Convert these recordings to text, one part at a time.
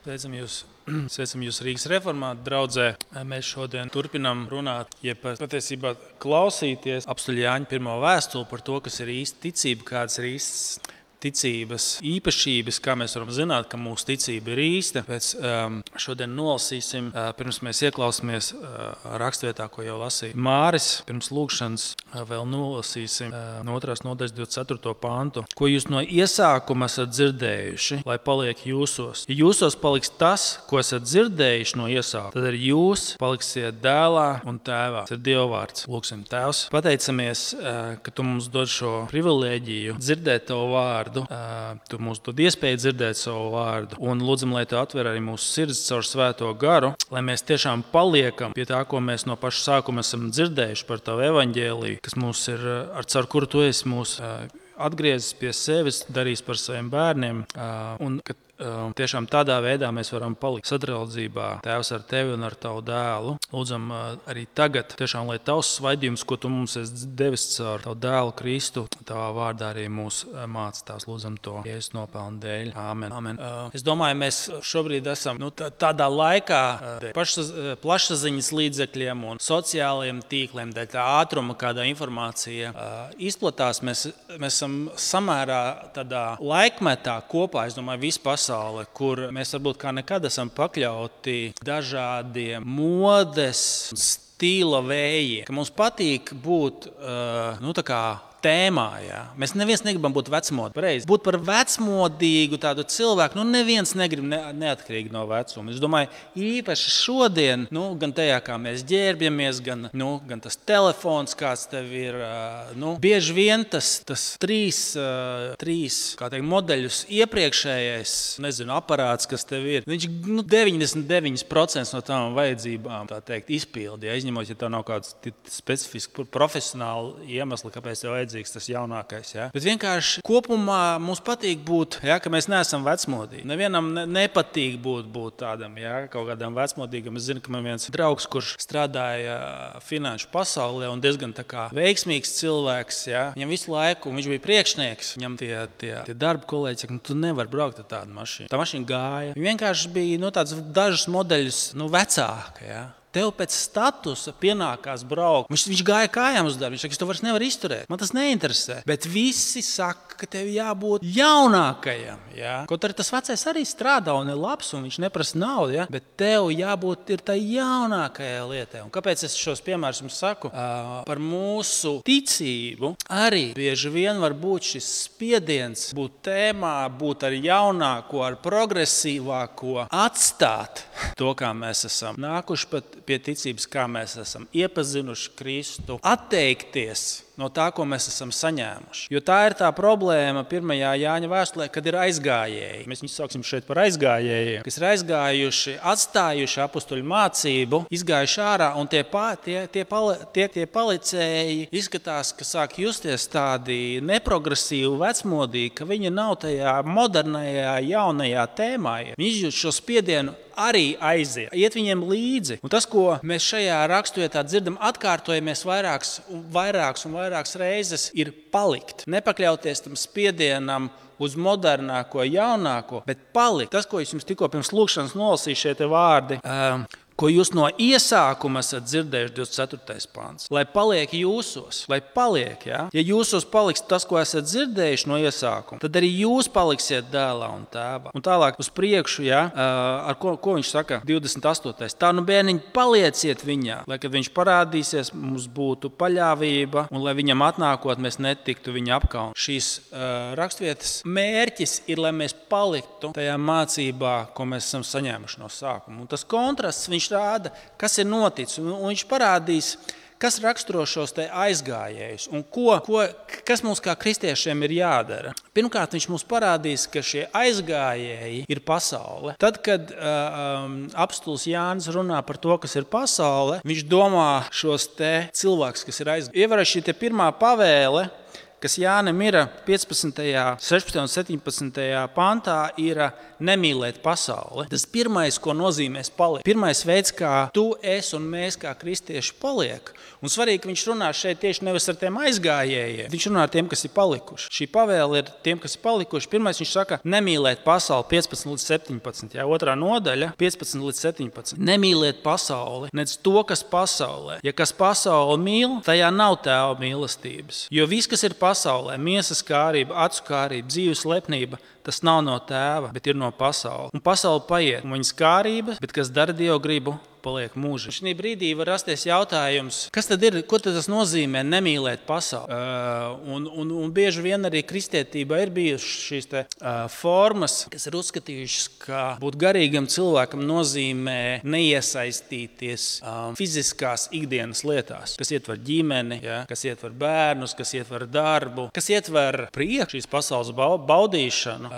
Sveicam jūs Rīgas reformātu draudzē. Mēs šodien turpinām runāt, patiesībā klausīties apstuļa Jāņa pirmo vēstuli par to, kas ir īsta ticība, kādas ir īstas ticības īpašības, kā mēs varam zināt, ka mūsu ticība ir īsta. Šodien nolasīsim, pirms mēs ieklausāmies rakstvietā, ko jau lasīja Māris. Pirms lūkšanas vēl nolasīsim no 2. nodaļas 24. pantu. Ko jūs no iesākuma esat dzirdējuši, lai paliek jūsos. Ja jūsos paliks tas, ko esat dzirdējuši no iesākuma, tad arī jūs paliksiet dēlā un tēvā. Tas ir Dieva vārds. Lūksim, Tēvs, pateicamies, ka tu mums dod šo privilēģiju dzirdēt tavu vārdu. Tu mums dod iespēju dzirdēt savu vārdu un lūdzam, lai tu atver arī mūsu sirds caur svēto garu, lai mēs tiešām paliekam pie tā, ko mēs no paša sākuma esam dzirdējuši par tavu evaņģēliju, kas mums ir, caur kuru tu esi mūs atgriezis pie sevis, darījis par saviem bērniem, un ka tiešām tādā veidā mēs varam palikt sadraudzībā, Tēvs, ar tevi un ar tavu dēlu. Lūdzam arī tagad, tiešām, lai tavs svaidījums, ko tu mums esi devis caur tavu dēlu Kristu, tavā vārdā arī mūs māca. Tās lūdzam to Jēzus nopelnu dēļ. Āmen. Amen. Es domāju, mēs šobrīd esam tādā laikā plašsaziņas līdzekļiem un sociālajiem tīkliem, dēļ tā ātruma, kādā informācija izplatās. Mēs esam samērā tādā laikmetā kopā, es domāju, visu pasauli, kur mēs varbūt kā nekad esam pakļauti dažādiem modes un stila vējiem, ka mums patīk būt tā kā tēmā. Jā. Mēs neviens negribam būt vecmodīgi. Būt par vecmodīgu tādu cilvēku, neviens negrib neatkarīgi no vecuma. Es domāju, īpaši šodien, gan tajā, kā mēs ģērbjamies, gan tas telefons, kāds tev ir, bieži vien tas trīs modeļus iepriekšējais, aparāts, kas tev ir, viņš 99% no tām vajadzībām, tā teikt, izpildi, izņemot, ja tev nav kāds specifisks profesionāli iemesli, kāpēc tev tas jaunākais. Ja? Bet vienkārši kopumā mums patīk būt, ka mēs neesam vecmodīgi. Nevienam nepatīk būt tādam, kaut kādam vecmodīgam. Es zinu, ka man viens draugs, kurš strādāja finanšu pasaulē un diezgan tā kā veiksmīgs cilvēks. Ja? Viņam visu laiku, viņš bija priekšnieks, viņam tie darba kolēģi saka, tu nevari braukt ar tādu mašīnu. Tā mašīna gāja. Viņa vienkārši bija tāds dažus modeļus vecāka. Ja? Tev pēc statusa pienākās braukt. Viņš gāja kājām uz darbu. Viņš saka, es to vairs nevaru izturēt. Man tas neinteresē. Bet visi saka, ka tev jābūt jaunākajam. Ja? Kaut arī tas vecais arī strādā un ir labs un viņš neprasa naudu. Ja? Bet tev jābūt ir tai jaunākajai lietai. Un kāpēc es šos piemērus jums saku? Par mūsu ticību arī bieži vien var būt šis spiediens būt tēmā, būt ar jaunāko, ar progresīvāko, atstāt to, kā mēs esam nākuši pie ticības, kā mēs esam iepazinuši Kristu, atteikties no tā, ko mēs esam saņēmuši. Jo tā ir tā problēma 1. Jāņa vēstulē, kad ir aizgājēji. Mēs viņus sauksim šeit par aizgājējiem, kas ir aizgājuši, atstājuši apustuļu mācību, izgājuši ārā, un tie palicēji izskatās, ka sāk justies tādi neprogresīvi, vecmodīgi, ka viņi nav tajā modernajā, jaunajā tēmā. Viņi izjūt šo spiedienu arī aiziet, iet viņiem līdzi. Un tas, ko mēs šajā raksturvietā dzirdam, atkārtojamies vairākas reizes, ir palikt. Nepakļauties tam spiedienam uz modernāko, jaunāko, bet palikt. Tas, ko es jums tikko pirms lūkšanas nolasīju, šie te vārdi, ko jūs no iesākuma esat dzirdējuši, 24. pants, lai paliek jūsos, ja jūsos paliks tas, ko esat dzirdējuši no iesākuma, tad arī jūs paliksiet dēlā un tēvā. Un tālāk uz priekšu, ar ko viņš saka, 28. Tā bērniņi palieciet viņā, lai, kad viņš parādīsies, mums būtu paļāvība un lai viņam atnākot, mēs netiktu viņa apkaun. Šīs rakstvietas mērķis ir, lai mēs paliktu tajā mācībā, ko mēs esam saņēmuši no sākuma. Un tas kontrasts viņš rāda, kas ir noticis, un viņš parādīs, kas raksturo šos te aizgājējus un kas mums kā kristiešiem ir jādara. Pirmkārt, viņš mums parādīs, ka šie aizgājēji ir pasaule. Tad, kad apustulis Jānis runā par to, kas ir pasaule, viņš domā šos te cilvēkus, kas ir aizgājēji. Ievēroši šī te pirmā pavēle, kas Jānim ir 15., 16. un 17. pantā, ir nemīlēt pasauli. Tas pirmais, ko nozīmēs palikt. Pirmais veids, kā tu, es un mēs kā kristieši paliek. Un svarīgi, ka viņš runā šeit tieši nevis ar tiem aizgājējiem. Viņš runā ar tiem, kas ir palikuši. Šī pavēle ir tiem, kas ir palikuši. Pirmais viņš saka, nemīlēt pasauli 15 līdz 17. Jā, 2. nodaļa 15 līdz 17. Nemīlēt pasauli, nec to, kas pasaulē. Ja kas pasauli mīl, tajā nav Tēva mīlestības. Jo viss, kas ir pasaulē, miesas kārība, acu kārība, dzīves lepnība, tas nav no Tēva, bet ir no pasaules. Un pasaule paiet, un viņas kārības, bet kas dara Dievu gribu, paliek mūžīgi. Šī brīdī var rasties jautājums, kas tad ir, ko tad tas nozīmē nemīlēt pasauli? Un bieži vien arī kristietībā ir bijušas šīs formas, kas ir uzskatījušas, ka būt garīgam cilvēkam nozīmē neiesaistīties fiziskās ikdienas lietās, kas ietver ģimeni, ja, kas ietver bērnus, kas ietver darbu, kas ietver prieku šīs pasaules baudīšanu.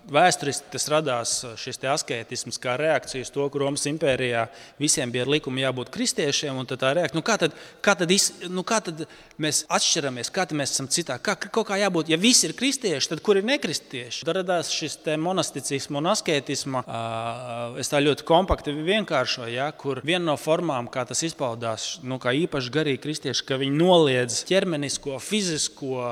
Vēsturiski tas radās šis askētisms kā reakcija uz to, ka Romas impērijā visiem bija ar likumu jābūt kristiešiem, un tā reakcija, kā tad mēs atšķiramies, kā tad mēs esam citā, kaut kā jābūt, ja visi ir kristieši, tad kur ir nekristieši? Tad radās šis monasticisma un asketisma, es tā ļoti kompakti vienkāršoju, ja, kur viena no formām, kā tas izpaudās, kā īpaši garīgi kristieši, ka viņi noliedz ķermenisko, fizisko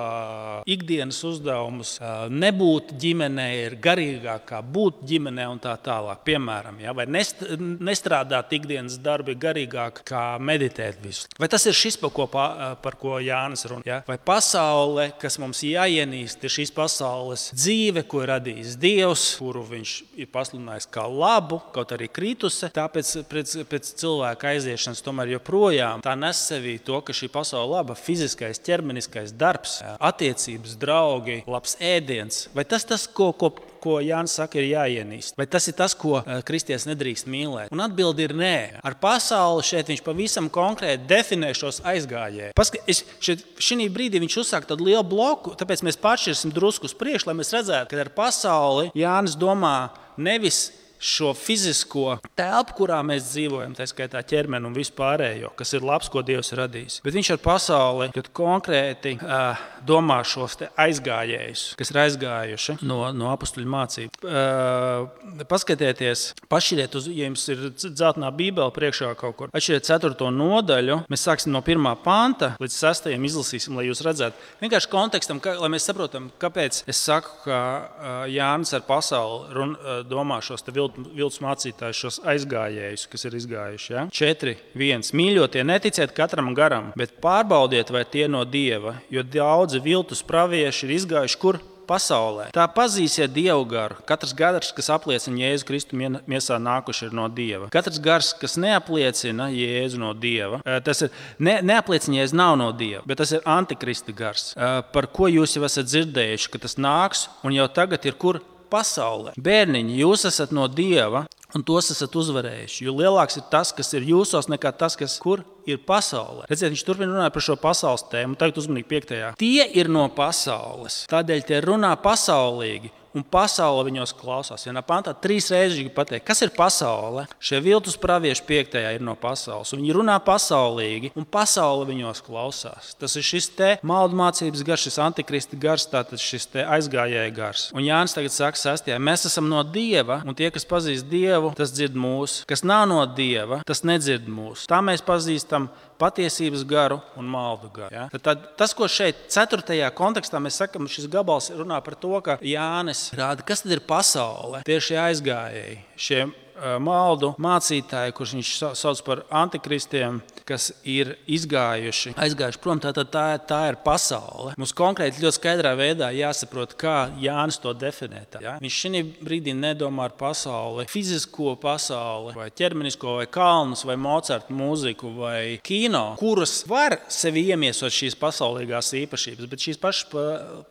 ikdienas uzdevumus, nebūt ģimenē ir garīgāk kā būt ģimenē un tā tālāk, piemēram, ja, vai nestrādāt ikdienas darbi garīgāk kā meditēt visu. Vai tas ir šis, par ko Jānis runā? Ja? Vai pasaule, kas mums jāienīst, ir šīs pasaules dzīve, ko ir radījis Dievs, kuru viņš ir pasludinājis kā labu, kaut arī kritusi, tāpēc pēc cilvēka aiziešanas tomēr joprojām tā nes sevī to, ka šī pasaule laba, fiziskais, ķermeniskais darbs, attiecības, draugi, labs ēdiens. Vai tas, ko Jānis saka, ir jāienīst? Vai tas ir tas, ko kristietis nedrīkst mīlēt? Un atbildi ir nē. Ar pasauli šeit viņš pavisam konkrēti definē šos aizgājējus. Šī brīdī viņš uzsāk tādu lielu bloku, tāpēc mēs pāršķirsim drusku uz priekšu, lai mēs redzētu, ka ar pasauli Jānis domā nevis šo fizisko telpu, kurā mēs dzīvojam, tā skaitā ķermeni un vispārējo, kas ir labs, ko Dievs ir radījis. Bet viņš ar pasauli konkrēti domā šos aizgājējus, kas ir aizgājuši no apustuļu mācību. Paskatieties, pašķiriet, ja jums ir dzeltenā bībele priekšā kaut kur, atšķiriet 4. nodaļu, mēs sāksim no 1. panta līdz 6. izlasīsim, lai jūs redzētu. Vienkārši kontekstam, lai mēs saprotam, kāpēc es saku, ka Jānis ar pasauli domā šos viltus mācītājus, šos aizgājējus, kas ir izgājuši. Ja? 4.1. Mīļotie, neticiet katram garam, bet pārbaudiet, vai tie no Dieva, jo daudzi viltus pravieši ir izgājuši kur? Pasaulē. Tā pazīsiet Dievu garu. Katrs gars, kas apliecina Jēzu Kristu miesā nākuši, ir no Dieva. Katrs gars, kas neapliecina Jēzu no Dieva, tas ir neapliecina Jēzu nav no Dieva, bet tas ir antikrista gars, par ko jūs jau esat dzirdējuši, ka tas nāks un jau tagad ir kur? Pasaulē. Bērniņi, jūs esat no Dieva un tos esat uzvarējuši, jo lielāks ir tas, kas ir jūsos, nekā tas, kas kur ir pasaulē. Redziet, viņš turpina runāt par šo pasaules tēmu, tagad uzmanīgi 5. Tie ir no pasaules, tādēļ tie runā pasaulīgi. Un pasaule viņos klausās. Vienā pantā 3 reizes pateikt, kas ir pasaule. Šie viltus pravieši 5. ir no pasaules. Un viņi runā pasaulīgi, un pasaule viņos klausās. Tas ir šis te maldu mācības gars, šis antikrista gars, tātad šis te aizgājēja gars. Un Jānis tagad saka 6. Mēs esam no Dieva, un tie, kas pazīst Dievu, tas dzird mūs. Kas nav no Dieva, tas nedzird mūs. Tā mēs pazīstam patiesības garu un maldu garu. Ja? Tad tas, ko šeit 4. kontekstā mēs sakam, šis gabals runā par to, ka Jānis rāda, kas tad ir pasaule. Tieši aizgājēji, šie maldu mācītāji, kurus viņš sauc par antikristiem, kas ir aizgājuši prom, tā ir pasaule. Mums konkrēti ļoti skaidrā veidā jāsaprot, kā Jānis to definē. Ja? Viņš šī brīdī nedomā ar pasauli, fizisko pasauli, vai ķermenisko, vai kalnus, vai Mocarta mūziku, vai kino, kuras var sevi iemiesot šīs pasaulīgās īpašības, bet šīs pašas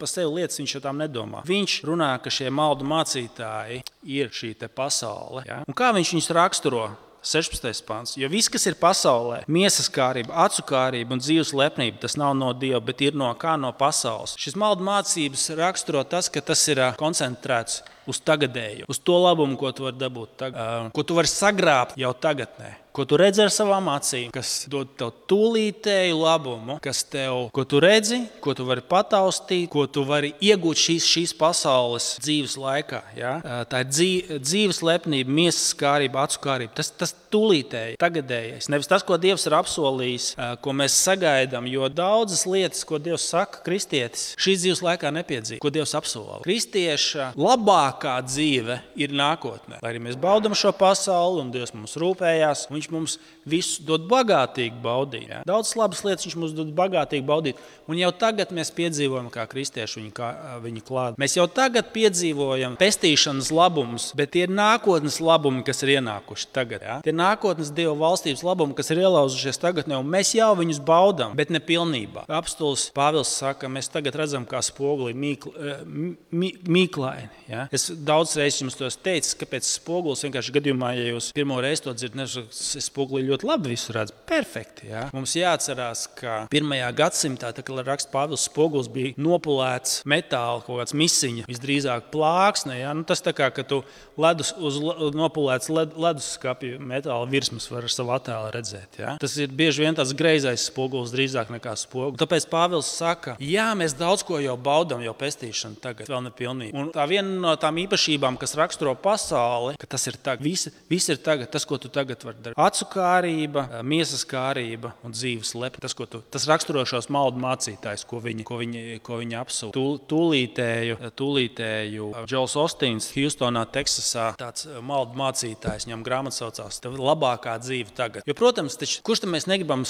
pa sevi lietas viņš jau tām nedomā. Viņš runā, ka šie maldu mācītāji ir šī te pasaule. Ja? Un kā viņš viņus raksturo? 16. pants. Jo viss, kas ir pasaulē, miesas kārība, acu kārība un dzīves lepnība, tas nav no Dieva, bet ir no pasaules. Šis maldu mācības raksturo tas, ka tas ir koncentrēts uz tagadēju, uz to labumu, ko tu vari dabūt tagad, ko tu vari sagrābt jau tagadnē, ko tu redzi ar savām acīm, kas dod tev tūlītēju labumu, ko tu redzi, ko tu vari pataustīt, ko tu vari iegūt šīs pasaules dzīves laikā. Ja? Tā ir dzīves lepnība, miesas kārība, acu kārība. Tas tūlītēji, tagadējais. Nevis tas, ko Dievs ir apsolījis, ko mēs sagaidām, jo daudzas lietas, ko Dievs saka, kristietis, šīs dzīves laikā nepiedzīvo, ko Dievs apsola. Kristieša labākā dzīve ir nākotnē. Lai arī mēs baudam šo pasauli un Dievs mums rūpējās, viņš mums visu dod bagātīgi baudīt. Ja? Daudzas labas lietas viņš mums dod bagātīgi baudīt. Un jau tagad mēs piedzīvojam, kā kristieši viņu klāta. Mēs jau tagad piedzīvojam pestīšanas labumus, bet tie ir nākotnes labumi, kas ir ienākuši tagad. Ja? Tie ir nākotnes Dieva valstības labumi, kas ir ielauzušies tagadnē, un mēs jau viņus baudām, bet ne pilnībā. Apostols Pāvils saka, mēs tagad redzam, kā spoguli mīklaini. Ja? Es daudz reizes jums to teicu, kāpēc spogulis vienkārši gadījumā, ja jūs pirmo reizi to dzirdat, spoguli ļoti labi visu redz. Perfekti. Ja? Mums jāatcerās, ka 1. gadsimtā, tā kā raksta Pāvils, spogulis bija nopulēts metāla kaut kāds misiņa, visdrīzāk plāksne. Ja? Tas tā kā, ka tu nopulēts leduskapja metāla virsmas var ar savu attēlu redzēt. Ja? Tas ir bieži vien tāds greizais spogulis drīzāk nekā spogulis. Tāpēc Pāvils saka, jā, mēs daudz ko jau baudam, jau pestīšanu tagad, vēl nepilnīgi. Un tā viena no tām īpašībām, kas raksturo pasauli, ka tas ir tagad. Viss ir tagad, tas, ko tu tagad vari darīt. Acu kārība, miesas kārība un dzīves lepni. Tas raksturo šos maldu mācītājus, ko viņi apsūta. Tūlītēju Džols Ostīns Hjūstonā, Teksasā, tāds maldu mācītājs, viņam grāmata saucās labākā dzīve tagad. Jo, protams, kurš tam mēs negribam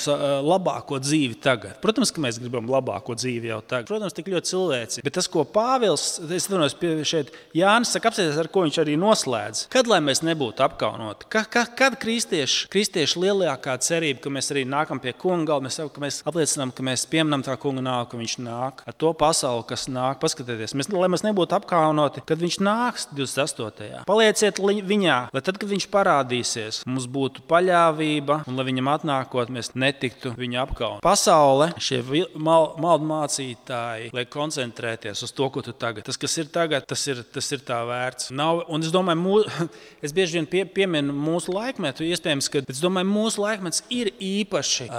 labāko dzīvi tagad? Protams, ka mēs gribam labāko dzīvi jau tagad. Protams, tik ļoti cilvēci. Bet tas, ko Pāvils, es domāju, šeit Jānis saka, apsēties, ar ko viņš arī noslēdz. Kad lai mēs nebūtu apkaunoti? Kad kristieši lielākā cerība, ka mēs arī nākam pie kunga galda, mēs apliecinām, ka mēs pieminam tā kunga nāk, ka viņš nāk ar to pasauli, kas nāk. Paskatieties, lai mēs nebūtu apkaunoti, kad viņš nāks 28. Palieciet viņā, lai tad, kad viņš parādīsies, mums būtu paļāvība un lai viņam atnākot, mēs netiktu viņu apkaunot. Pasaule, šie maldu mācītāji, lai koncentrēties uz to, ko tu tagad. Tas, kas ir tagad, tas ir tā vērts. Un es domāju, es bieži vien pieminu mūsu laikmetu, iespējams, ka es domāju, mūsu laikmets ir īpaši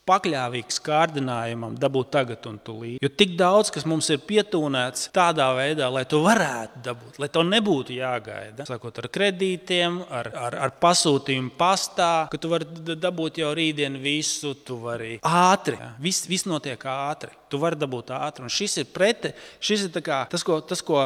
pakļāvīgs kārdinājumam dabūt tagad un tūlīt. Jo tik daudz, kas mums ir pietūnēts tādā veidā, lai to varētu dabūt, lai to nebūtu jāgaida. Sākot ar kredītiem, ar pasūtījumu pastā, ka tu vari dabūt jau rītdien visu, tu vari ātri. Ja? Viss notiek ātri. Tu vari dabūt ātri. Un šis ir tā kā tas, ko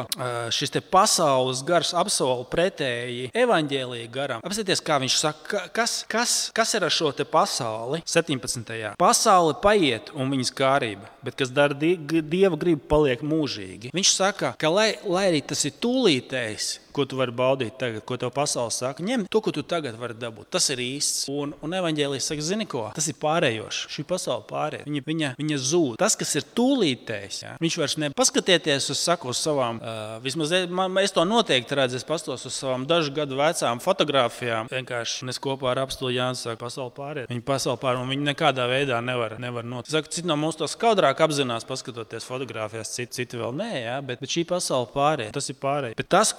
šis te pasaules gars apsola pretēji evaņģēlija garam. Apsieties, kā viņš saka, kas ir ar šo te pasauli 17. Pasaule paiet un viņas kārība, bet kas dara Dieva gribu, paliek mūžīgi. Viņš saka, ka lai arī tas ir tūlītējs, ko tu vari baudīt tagad, ko tev pasaule saka, ņem to, ko tu tagad vari dabūt. Tas ir īsts. Un evaņģēlijs saka, zini ko? Tas ir pārējošs. Šī pasaule pārēj. Viņa zūd. Tas, kas ir tūlītējs, ja? Viņš vairs paskatieties uz savām, vismaz es to noteikti redzu, es pastos uz savām dažu gadu vecām fotogrāfijām. Vienkārši es kopā ar apstuli Jānis saka, pasaule pārēj. Viņa pasaule pārēj, un viņa nekādā veidā nevar notikt. Saku, citi no mums to skaudrāk apzinās, paskatoties fotogrāfijās, citi vēl nē, ja? Bet šī pasaule pārēj. Tas ir pārēj. Bet tas,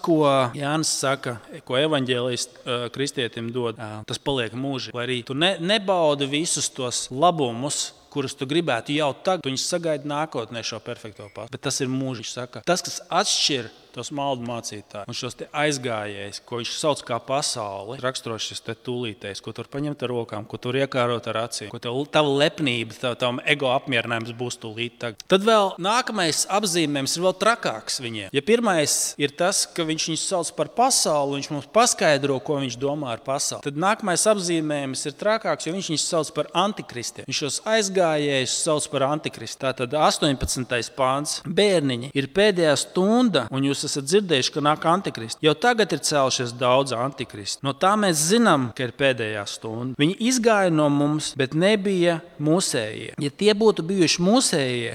ko Jānis saka, ko evaņģēlijs kristietim dod, tas paliek mūžīgi. Lai arī tu nebaudi visus tos labumus, kurus tu gribētu jau tagad, tu viņus sagaidi nākotnē šo perfekto pasauli. Bet tas ir mūžīgi, saka. Tas, kas atšķir tos maldu mācītājus un šos te aizgājējus, ko viņš sauc kā pasauli, raksturo šis te tūlītējs, ko tu vari paņemt ar rokām, ko tu vari iekārot ar acīm, ko tava lepnība, tavam ego apmierinājums būs tūlīt tagad. Tad vēl nākamais apzīmējums ir vēl trakāks viņiem. Ja pirmais ir tas, ka viņš viņus sauc par pasauli, viņš mums paskaidro, ko viņš domā ar pasauli. Tad nākamais apzīmējums ir trakāks, jo viņš viņus sauc par antikristiem. Viņš šos aizgājējus sauc par antikristu. Tātad 18. pāns. Bērniņi, ir pēdējā stunda, un jūs esat dzirdējuši, ka nāk antikristi. Jau tagad ir cēlušies daudz antikristi. No tā mēs zinām, ka ir pēdējā stunda. Viņi izgāja no mums, bet nebija mūsējie. Ja tie būtu bijuši mūsējie,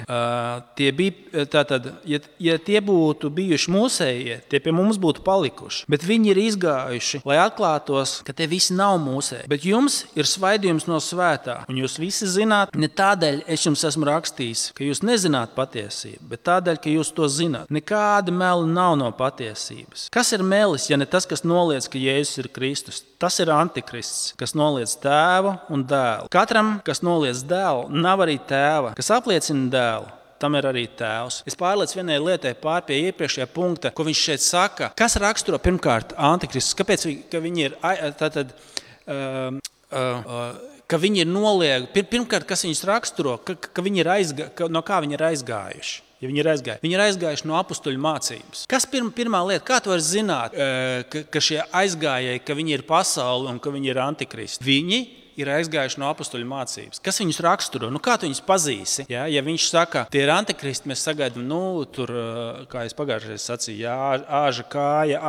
ja tie būtu bijuši mūsējie, tie pie mums būtu palikuši. Bet viņi ir izgājuši, lai atklātos, ka te visi nav mūsēji. Bet jums ir svaidījums no svētā. Un jūs visi zināt, ne tādēļ es jums esmu rakstījis, ka jūs nezināt patiesību, bet tādēļ, ka jūs to zināt. Nekāda meli nav no patiesības. Kas ir melis, ja ne tas, kas noliedz, ka Jēzus ir Kristus? Tas ir antikrists, kas noliedz tēvu un dēlu. Katram, kas noliedz dēlu, nav arī tēva. Kas apliecina dēlu, tam ir arī tēvs. Es pārlieku vienai lietai pār pie iepriekšējā punkta, ko viņš šeit saka. Kas raksturo pirmkārt antikristus? Kāpēc viņi ir ka viņi ir noliegi? Pirmkārt, kas viņus raksturo, ka viņi ir no kā viņi ir aizgājuši? Ja viņi ir aizgājuši no apustuļu mācības. Kas pirmā lieta, kā tu vari zināt, ka šie aizgājēji, ka viņi ir pasauli un ka viņi ir antikristi? Viņi ir aizgājuši no apustuļu mācības. Kas viņus raksturo? Kā tu viņus pazīsi? Ja viņš saka, tie ir antikristi, mēs sagaidām, tur, kā es pagājušajā sacīju, āža kāja,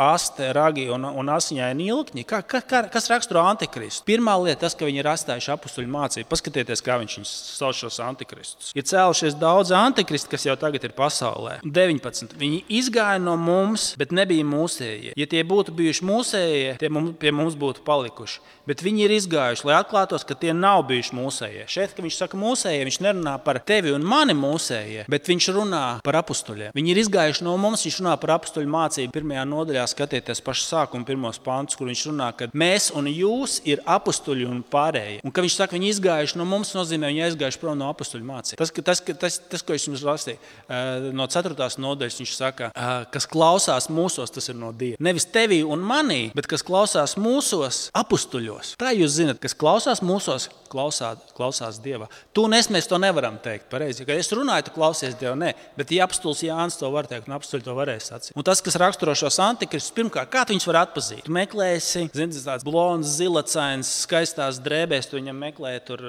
aste, ragi un asiņaini ilkņi. Kas raksturo antikristu? Pirmā lieta tas, ka viņi ir atstājuši apustuļu mācību. Paskatieties, kā viņš sauc šos antikristus. Ir cēlušies daudz antikristu, kas jau tagad ir pasaulē. 19. Viņi izgāja no mums, bet nebija mūsējie. Ja tie būtu bijuši mūsējie, tie pie mums būtu palikuši. Bet viņi ir izgājuši, lai atklātos, ka tie nav bijuši mūsējie. Šeit, kad viņš saka mūsējie, viņš nerunā par tevi un mani mūsējie, bet viņš runā par apustuļiem. Viņi ir izgājuši no mums, viņš runā par apustuļu mācību. Pirmajā nodaļā skatieties pašu sākumu pirmos pantus, kur viņš runā, ka mēs un jūs ir apustuļi un pārējie. Un kad viņš saka, viņi izgājuši no mums, nozīmē, viņi aizgājuši prom no apustuļu mācību. Tas, ko es jums lasīju, no 4. nodaļas viņš saka, kas klausās mūsos, tas ir no Dieva. Nevis tevī un manī, bet kas klausās mūsos, apustuļos. Tā jūs zināt, kas klausās mūsos, klausās Dievā. Tu un es mēs to nevaram teikt pareizi. Kad es runāju, tu klausies Dievu, nē. Bet ja apustulis Jānis to var teikt, un apustuļi to varēs sacīt. Un tas, kas raksturo šos antikristus, pirmkārt, kā tu viņus var atpazīt? Tu meklēsi, tāds blonds, zilacains, skaistās drēbēs, tu viņam meklē tur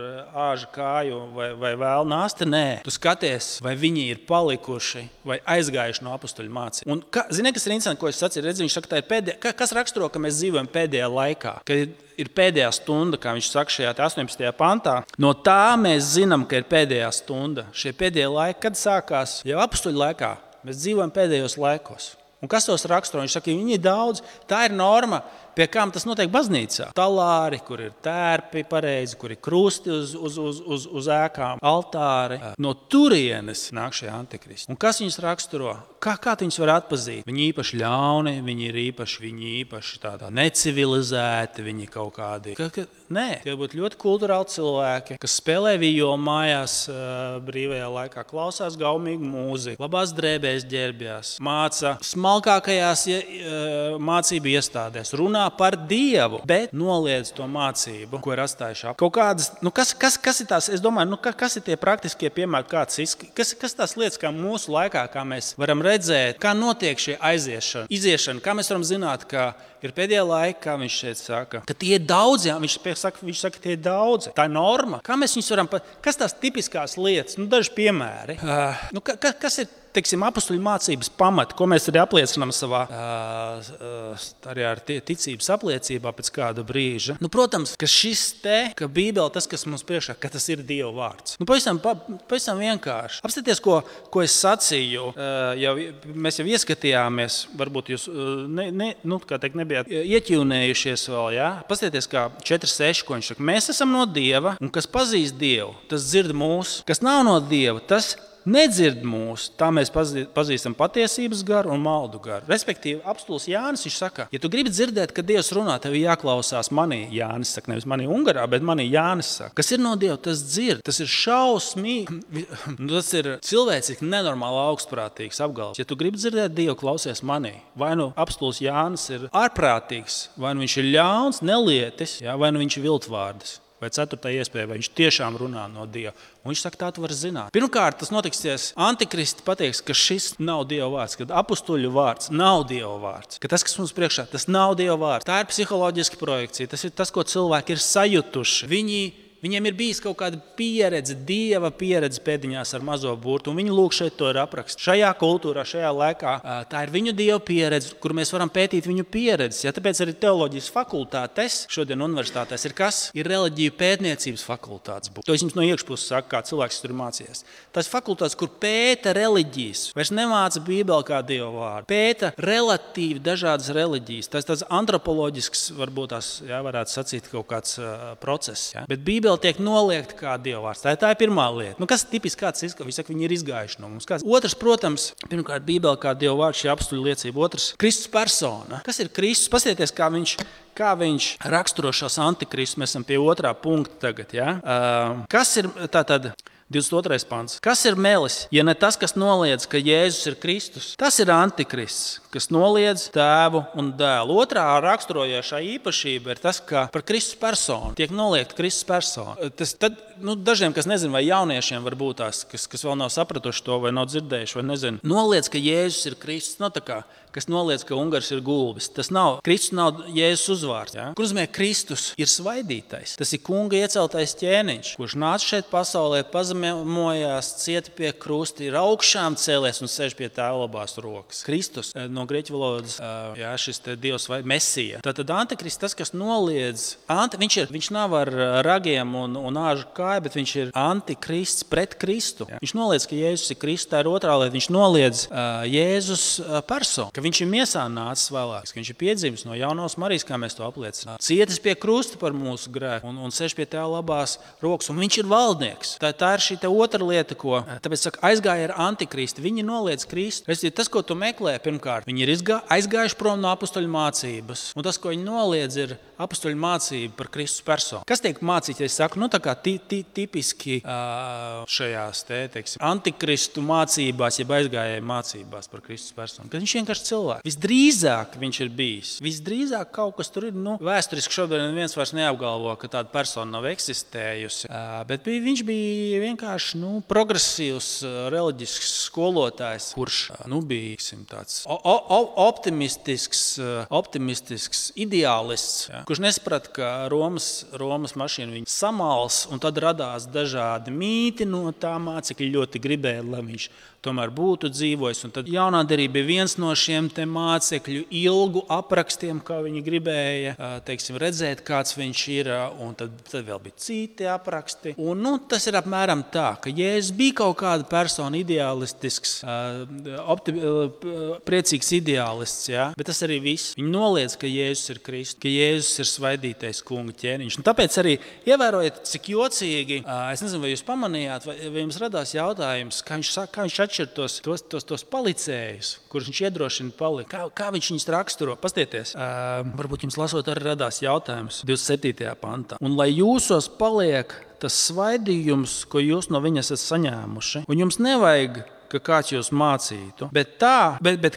āža kāju vai vēl nāsti? Nē. Tu skaties, vai viņi ir palikuši vai aizgājuši no apustuļu mācību. Un zini, kas ir interesanti, ko es sacīju? Redzi, viņš saka, tā ir pēdējā, kas raksturo, ka mēs dzīvojam pēdējā laikā, kad ir pēdējā stunda, kā viņš saka šajā 18. pantā. No tā mēs zinām, ka ir pēdējā stunda. Šie pēdējie laiki, kad sākās jau apustuļu laikā, mēs dzīvojam pēdējos laikos. Un kas tos raksturo? Viņš saka, viņi ir daudz, tā ir norma, pie kām tas notiek baznīcā. Talāri, kur ir tērpi pareizi, kur ir krusti uz ēkām, altāri. No turienes nāk šie antikristi. Un kas viņus raksturo? Kā viņus var atpazīt? Viņi īpaši ļauni, viņi īpaši tādā necivilizēti, viņi kaut kādi. Nē, tie būtu ļoti kulturāli cilvēki, kas spēlē violu mājās brīvajā laikā, klausās gaumīgu mūziku, labās drēbēs ģērbjās, māca smalkākajās mācību iestādēs, runā par Dievu, bet noliedz to mācību, ko ir atstājuši ap. Kaut kādas, kas ir tās, es domāju, kas ir tie praktiskie piemēri, kas tās lietas, kā mūsu laikā, kā mēs varam redzēt, kā notiek šie iziešana, kā mēs varam zināt, ka ir pēdējā laikā, kā viņš šeit saka, ka tie ir daudzi, viņš saka, tie ir daudzi. Tā ir norma. Kā mēs viņus varam, kas tās tipiskās lietas, daži piemēri, kas ir, teiksim, apustuļu mācības pamati, ko mēs arī apliecinām savā arī ar ticības apliecībā pēc kāda brīža. Protams, ka Bībele, tas, kas mums priekšā, ka tas ir Dieva vārds. Pavisam vienkārši. Apstāties, ko es sacīju, mēs jau ieskatījāmies, varbūt jūs nebijāt ieķīvnējušies vēl, jā? Paskatieties, kā 4.6, ko viņš saka. Mēs esam no Dieva, un kas pazīst Dievu, tas dzird mūs. Kas nav no Dieva, tas nedzird mūs, tā mēs pazīstam patiesības garu un maldu garu. Respektīvi, apustulis Jānis, viņš saka, ja tu gribi dzirdēt, ka Dievs runā, tev jāklausās manī. Jānis saka, nevis manī Ungarā, bet manī Jānis saka. Kas ir no Dieva, tas dzird. Tas ir šausmīgi. Tas ir cilvēcīgi nenormāli augstprātīgs apgalvojums. Ja tu gribi dzirdēt Dievu, klausies manī. Vai nu apustulis Jānis ir ārprātīgs, vai nu viņš ir ļauns, nelietis, vai nu viņš ir viltvārds. Vai 4. iespēja, vai viņš tiešām runā no Dieva. Un viņš saka, tā tu vari zināt. Pirmkārt, tas notiksies, antikristi pateiks, ka šis nav Dieva vārds, ka apustuļu vārds nav Dieva vārds, ka tas, kas mums priekšā, tas nav Dieva vārds. Tā ir psiholoģiska projekcija, tas ir tas, ko cilvēki ir sajutuši. Viņiem ir bijis kaut kāda pieredze, Dieva pieredze pēdiņās ar mazo burtu, un viņi lūk šeit to ir aprakstīt. Šajā kultūrā, šajā laikā, tā ir viņu Dieva pieredze, kur mēs varam pētīt viņu pieredzes. Ja, tāpēc arī teoloģijas fakultātes šodien universitātēs ir kas? Ir reliģiju pētniecības fakultātes. To es jums no iekšpuses saku, kā cilvēks tur mācījies. Tas fakultātes, kur pēta reliģijas, vairs nemāca Bībeli kā Dieva vārdu. Pēta relatīvi dažādas reliģijas. Tas tāds antropoloģisks, varbūt tās, varētu sacīt, kaut kāds process. Ja? Bet Bībele Bībele tiek noliegta kā Dieva vārds. Tā ir pirmā lieta. Kas ir tipiski kāds izskatās? Viņi ir izgājuši no mums. Otrs, protams, pirmkārt, Bībele kā Dieva vārds, šī apstuļu liecība. Otrs, Kristus persona. Kas ir Kristus? Paskatieties, kā viņš raksturo šos antikristus. Mēs esam pie otrā punkta tagad. Ja? Kas ir tātad? 22. pants. Kas ir melis, ja ne tas, kas noliedz, ka Jēzus ir Kristus? Tas ir antikrists, kas noliedz Tēvu un Dēlu. Otrā raksturojošā īpašība ir tas, ka par Kristus personu tiek noliegta Kristus persona. Dažiem, kas nezina, vai jauniešiem var būt tās, kas vēl nav sapratuši to, vai nav dzirdējuši, vai nezina, noliedz, ka Jēzus ir Kristus. Kas noliedz, ka Ungars ir gulbis. Kristus nav Jēzus uzvārds. Ja? Kur nozīmē, Kristus ir svaidītais. Tas ir kunga ieceltais ķēniņš, kurš nāca šeit pasaulē, pazemojās, cieta pie krusta, ir augšām cēlies un sēž pie Tēva labās rokas. Kristus no grieķu valodas, šis te Dievs vai Mesija. Tātad antikrists, tas, kas noliedz, viņš nav ar ragiem un āžu kāju, bet viņš ir antikrists pret Kristu. Ja? Viņš noliedz, ka Jēzus ir Kristus, tā ir otrā lieta. Viņš noliedz Jēzus personu. Viņš ir miesā nācis vēlāk, ka viņš ir piedzimis no jaunās Marijas, kā mēs to apliecinām. Cietis pie krusta par mūsu grēku un sēž pie Tēva labās rokas, un viņš ir valdnieks. Tā ir šī otra lieta, ko tāpēc saka, aizgāja ar antikristu. Viņi noliedz Kristu. Tas, ko tu meklē, pirmkārt, viņi ir aizgājuši prom no apustuļu mācības, un tas, ko viņi noliedz, ir apustuļu mācība par Kristus personu. Kas tiek mācīts, ja es saku, tā kā tipiski šajās antikristu mācībās, jeb aizgājēju mācībās par Kristus personu, kad viņš vienkārši cilvēks. Visdrīzāk viņš ir bijis. Visdrīzāk kaut kas tur ir. Vēsturiski šodien neviens vairs neapgalvo, ka tāda persona nav eksistējusi. Bet viņš bija vienkārši progresīvs, reliģisks skolotājs, kurš bija tāds optimistisks ideālists, kurš nesaprata, ka Romas mašīna viņu samals, un tad radās dažādi mīti no tā mācekļi ļoti gribēja, lai viņš tomēr būtu dzīvojis. Un tad jaunā derība bija viens no šiem te mācekļu ilgu aprakstiem, kā viņi gribēja redzēt, kāds viņš ir, un tad vēl bija citi apraksti. Un, tas ir apmēram tā, ka Jēzus bija kaut kāda persona ideālistisks, priecīgs ideālists, ja? Bet tas arī viss. Viņi noliedz, ka Jēzus ir Kristus, ka Jēzus ir svaidītais kunga ķēniņš. Un tāpēc arī ievērojiet, cik jocīgi, es nezinu, vai jūs pamanījāt, vai jums radās jautājums, kā viņš atšķir tos palicējus, kurus viņš iedrošina palikt. Kā viņš viņus raksturo? Pastieties. Varbūt jums lasot arī radās jautājums 27. pantā. Un lai jūsos paliek tas svaidījums, ko jūs no viņa esat saņēmuši, un jums nevajag, ka kāds jūs mācītu, bet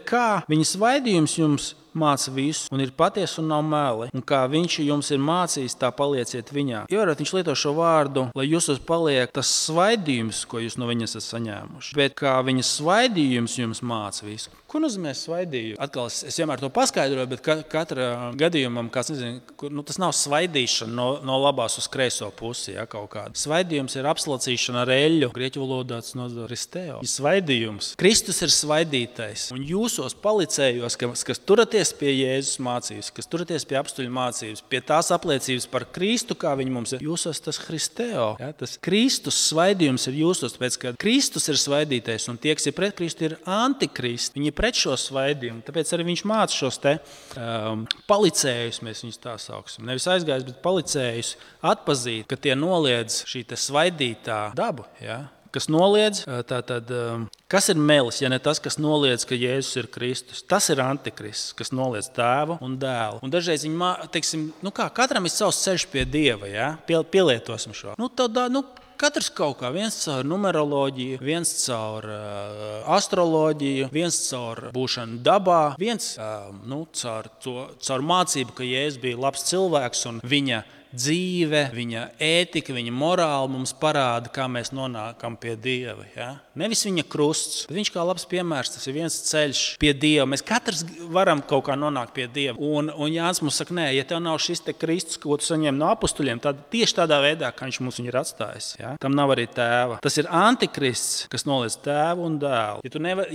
kā viņa svaidījums jums māca visu, un ir patiesa un nav meli. Un kā viņš jums ir mācījis, tā palieciet viņā. Ievērot, viņš lieto šo vārdu, lai jūsos paliek tas svaidījums, ko jūs no viņas esat saņēmuši. Bet kā viņa svaidījums jums māca visu. Ko nozīmē svaidījums? Atkal es vienmēr to paskaidroju, bet katra gadījumam, tas nav svaidīšana no labās uz kreiso pusi, ja, kaut kāda. Svaidījums ir apslacīšana ar eļļu. Grieķu valodā tas nozīmē risteo. Svaidījums. Kristus ir svaidītais. Un jūsos palicējos, kas turaties pie Jēzus mācības, kas turaties pie apstuļu mācības, pie tās apliecības par Kristu, kā viņi mums ir. Jūsos tas Kristeo. Ja? Tas Kristus svaidījums ir jūsos, tāpēc, ka Kristus ir svaidītais, un tie, kas ir pret Kristu, ir antikrist. Viņi ir pret šo svaidījumu. Tāpēc arī viņš māca šos palicējus, mēs viņus tā sauksim. Nevis aizgājis, bet palicējus atpazīt, ka tie noliedz šī svaidītā dabu. Ja? Kas noliedz, kas ir melis, ja ne tas, kas noliedz, ka Jēzus ir Kristus? Tas ir antikrists, kas noliedz Tēvu un Dēlu. Un dažreiz viņi, katram ir savs ceļš pie Dieva, ja? Pielietosim šo. Katrs kaut kā, viens caur numeroloģiju, viens caur astroloģiju, viens caur būšanu dabā, viens caur mācību, ka Jēzus bija labs cilvēks un viņa dzīve, viņa ētika, viņa morāla mums parāda, kā mēs nonākam pie Dieva. Ja? Nevis viņa krusts, bet viņš kā labs piemērs, tas ir viens ceļš pie Dieva. Mēs katrs varam kaut kā nonākt pie Dieva. Un Jānis mums saka, nē, ja tev nav šis te Kristus, ko tu saņem no apustuļiem, tad tieši tādā veidā, kā viņš mums viņu ir atstājis. Ja? Tam nav arī Tēva. Tas ir antikrists, kas noliedz Tēvu un Dēlu.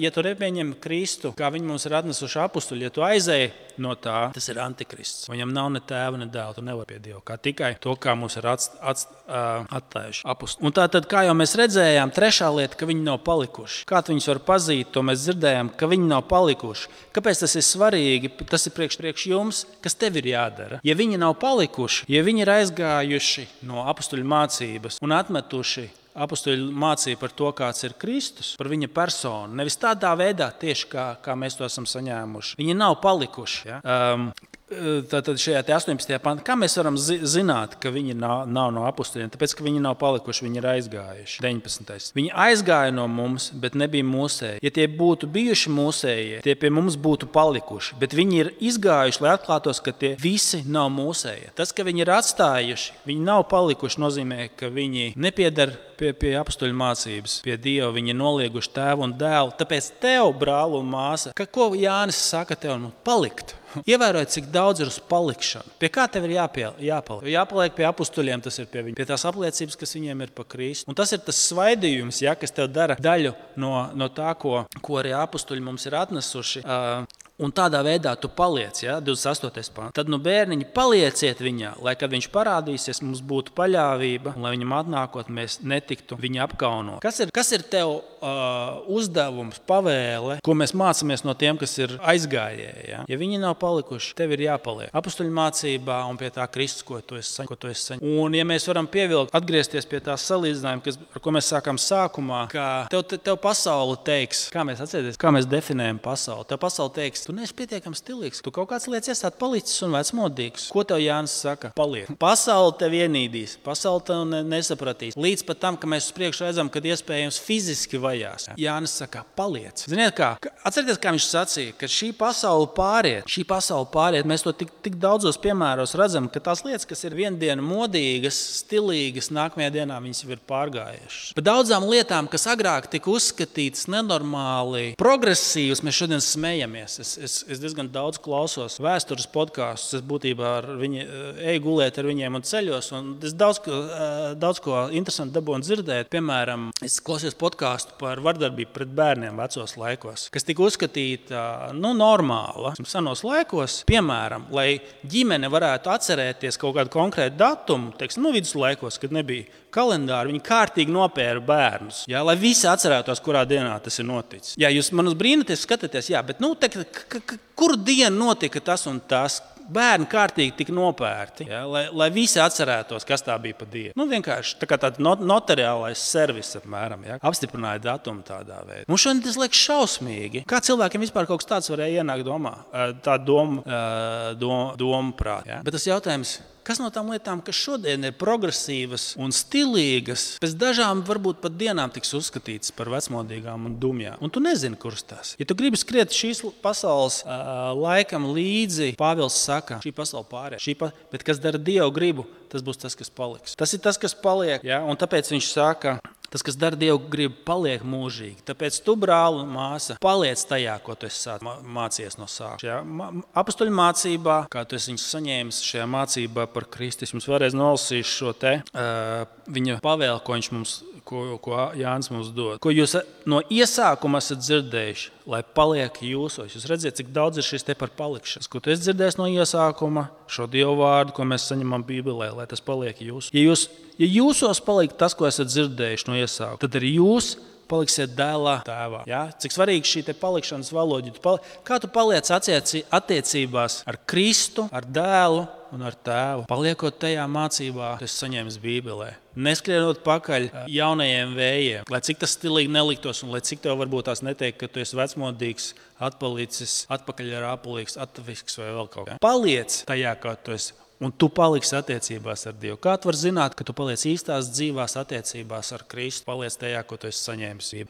Ja tu nepieņem Kristu, kā viņi mums ir atnesuši apustuļi, ja tu aizēji no tā, tas ir antikrists. Viņam nav ne Tēva, ne Dēla, tu nevari pie Dieva. Kā tikai to, kā mums ir atstājuši apustuli. Un tātad, kā jau mēs redzējām, trešā lieta, ka viņi nav palikuši. Kā viņus var pazīt, to mēs dzirdējām, ka viņi nav palikuši. Kāpēc tas ir svarīgi? Tas ir priekš jums, kas tev ir jādara. Ja viņi nav palikuši, ja viņi ir aizgājuši no apustuļu mācības un atmetuši apustuļu mācību par to, kāds ir Kristus, par viņa personu. Nevis tādā veidā, tieši kā mēs to esam saņēmuši. Viņi nav palikuši. Ja? Tātad šajā 18. pantā, kā mēs varam zināt, ka viņi nav no apustuļiem? Tāpēc, ka viņi nav palikuši, viņi ir aizgājuši. 19. Viņi aizgāja no mums, bet nebija mūsēji. Ja tie būtu bijuši mūsējie, tie pie mums būtu palikuši. Bet viņi ir izgājuši, lai atklātos, ka tie visi nav mūsējie. Tas, ka viņi ir atstājuši, viņi nav palikuši, nozīmē, ka viņi nepiedar pie apustuļu mācības, pie Dieva. Viņi ir nolieguši tēvu un dēlu. Tāpēc tev, brāl un māsa, ko Jānis saka tev? Palikt. Ievērojiet, cik daudz ir uz palikšanu. Pie kā tev ir jāpaliek? Jāpaliek pie apustuļiem, tas ir pie tās apliecības, kas viņiem ir pa Kristu. Un tas ir tas svaidījums, ja, kas tev dara daļu no tā, ko arī apustuļi mums ir atnesuši. Un tādā veidā tu paliec, ja, 28. pāns. Tad, bērniņi, palieciet viņā, lai, kad viņš parādīsies, mums būtu paļāvība, un lai viņam atnākot, mēs netiktu viņa apkaunot. Kas ir tev uzdevums, pavēle, ko mēs mācāmies no tiem, kas ir aizgājēji? Ja? Ja viņi nav palikuši, tev ir jāpaliek apustuļu mācībā un pie tā Kristus, ko tu esi saņēmis. Un, ja mēs varam atgriezties pie tā salīdzinājuma, ar ko mēs sākām sākumā, ka tev pasaule teiks, kā mēs definējam pasauli. Tev pasaule teiks, tu neesi pietiekami stilīgs, tu kaut kāds lietas esat palicis un vecmodīgs. Ko tev Jānis saka? Paliek. Pasaule tev ienīdīs, pasaule tev nesapratīs. Līdz pat tam, ka mēs uz priekšu redzam, kad iespējams fiziski vajās. Jānis saka, paliec. Ziniet kā? Atcerieties, kā viņš sacīja, ka šī pasaule pāriet. Mēs to tik daudzos piemēros redzam, ka tās lietas, kas ir viendienu modīgas, stilīgas, nākamajā dienā viņas jau ir pārgājušas. Par daudzām lietām, kas agrāk tika uzskatītas nenormāli progresīvas, mēs šodien smejamies. Es diezgan daudz klausos vēstures podkāstus. Es būtībā eju gulēt ar viņiem un ceļos. Un es daudz ko interesantu dabūju dzirdēt. Piemēram, es klausījos podkāstu par vardarbību pret bērniem vecos laikos, kas tika uzskatīta normāla. Senos laikos, piemēram, lai ģimene varētu atcerēties kaut kādu konkrētu datumu, viduslaikos, kad nebija kalendāri, viņi kārtīgi nopēra bērnus. Jā, lai visi atcerētos, kurā dienā tas ir noticis. Jā, jūs man uz brīnaties skatāties, jā, bet kuru dienu notika tas un tas? Bērni kārtīgi tika nopērti, ja, lai visi atcerētos, kas tā bija pa dienu. Vienkārši tā kā tāds notariālais servis apmēram, ja, apstiprināja datumu tādā veidā. Mums šodien tas liekas šausmīgi. Kā cilvēkiem vispār kaut kas tāds varēja ienākt domu prāt. Ja. Bet tas jautājums, kas no tām lietām, kas šodien ir progresīvas un stilīgas, pēc dažām varbūt pat dienām tiks uzskatītas par vecmodīgām un dumjām. Un tu nezini, kuras tās. Ja tu gribi skriet šīs pasaules laikam līdzi, Pāvils saka, šī pasaule pāriet. Bet kas dara Dievu gribu, tas būs tas, kas paliks. Tas ir tas, kas paliek. Ja? Un tāpēc viņš saka, tas, kas dara Dievu gribu, paliek mūžīgi. Tāpēc tu, brāl un māsa, paliec tajā, ko tu esi mācījies no sākuma. Apustuļu mācībā, kā tu esi viņus saņēmis šajā mācībā par Kristu, es mums vēlreiz nolasīšu šo viņa pavēli, ko Jānis mums dod. Ko jūs no iesākuma esat dzirdējuši, lai paliek jūsos. Jūs redzat, cik daudz ir šis te par palikšanas. Ko tu esi dzirdējis no iesākuma, šo Dievu vārdu, ko mēs saņemam Bībelē, lai tas paliek jūsos. Ja jūsos paliek tas, ko esat dzirdējuši no iesākuma, tad arī jūs paliksiet dēlā tēvā. Ja? Cik svarīgi šī te palikšanas valoda. Kā tu paliec attiecībās ar Kristu, ar dēlu un ar tēvu? Paliekot tajā mācībā, tu esi saņēmis Bībelē. Neskrienot pakaļ jaunajiem vējiem, lai cik tas stilīgi neliktos un lai cik tev varbūt tās neteikt, ka tu esi vecmodīgs, atpalicis, atpakaļ ar apulīgs, atviks vai vēl kaut kā. Paliec tajā, kā tu esi. Un tu paliksi attiecībās ar Dievu. Kā tu vari zināt, ka tu paliec īstās dzīvās attiecībās ar Kristu? Paliec tajā, ko tu esi saņēmis.